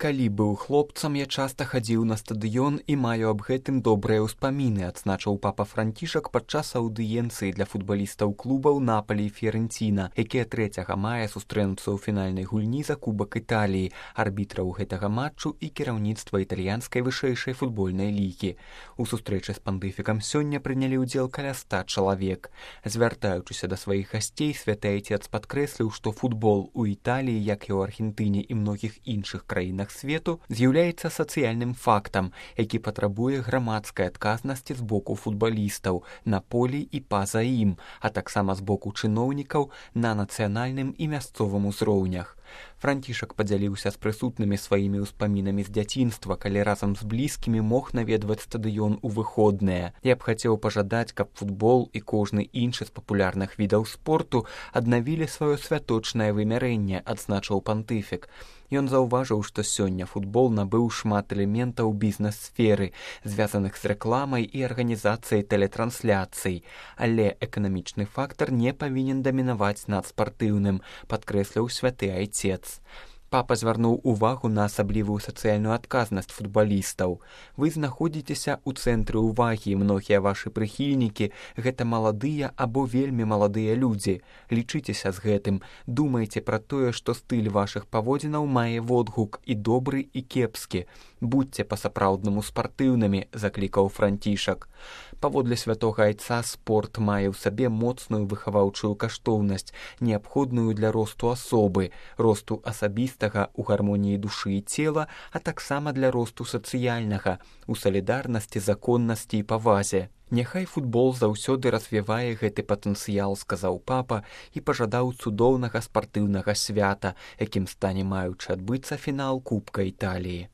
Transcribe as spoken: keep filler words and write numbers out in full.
Калі быў хлопцам, я часта хадзіў на стадыён і маю аб гэтым добрыя ўспаміны, адзначыў папа Францішак падчас аўдыенцыі для футбалістаў клубаў Напалі і Фіярэнціна, якія трэцяга мая сустрэнуцца ў фінальнай гульні за кубак Італіі, арбітраў гэтага матчу і кіраўніцтва італьянскай вышэйшай футбольнай лігі. У сустрэчы з пантыфікам сёння прынялі ўдзел каля ста чалавек. Звяртаючыся да сваіх гасцей, святы айцец падкрэсліў, што футбол у Італіі, як і ў Аргентыне і многіх іншых краінах свету, з'яўляецца сацыяльным фактам, які патрабуе грамадскай адказнасці з боку футбалістаў на полі і па-за ім, а таксама з боку чыноўнікаў на нацыянальным і мясцовым узроўнях. Францішак падзяліўся з прысутнымі сваімі ўспамінамі з дзяцінства, калі разам з блізкімі мог наведваць стадыён у выходныя. Я б хацеў пажадаць, каб футбол і кожны іншы з папулярных відаў спорту аднавілі сваё святочнае вымярэнне, адзначыў пантыфік. Ён заўважыў, што сёння футбол набыў шмат элементаў бізнес-сферы, звязаных з рэкламай і арганізацыяй тэлетрансляцый, але эканамічны фактар не павінен дамінаваць над спартыўным, падкрэсліў святы айцец. Папа звярнуў увагу на асаблівую сацыяльную адказнасць футбалістаў. Вы знаходзіцеся ў цэнтры ўвагі, многія вашы прыхільнікі – гэта маладыя або вельмі маладыя людзі. Лічыцеся з гэтым, думайце пра тое, што стыль вашых паводзінаў мае водгук і добры, і кепскі. Будьце па-сапраўднаму спартыўнымі, заклікаў Францішак. Паводле святога айца, спорт мае ў сабе моцную выхаваўчую каштоўнасць, неабходную для росту асобы, росту асабістага у гармоніі душы і цела, а таксама для росту сацыяльнага, у салідарнасці, законнасці і павазе. Няхай футбол заўсёды развівае гэты патэнцыял, сказаў папа і пажадаў цудоўнага спартыўнага свята, якім стане маючы адбыцца фінал Кубка Італіі.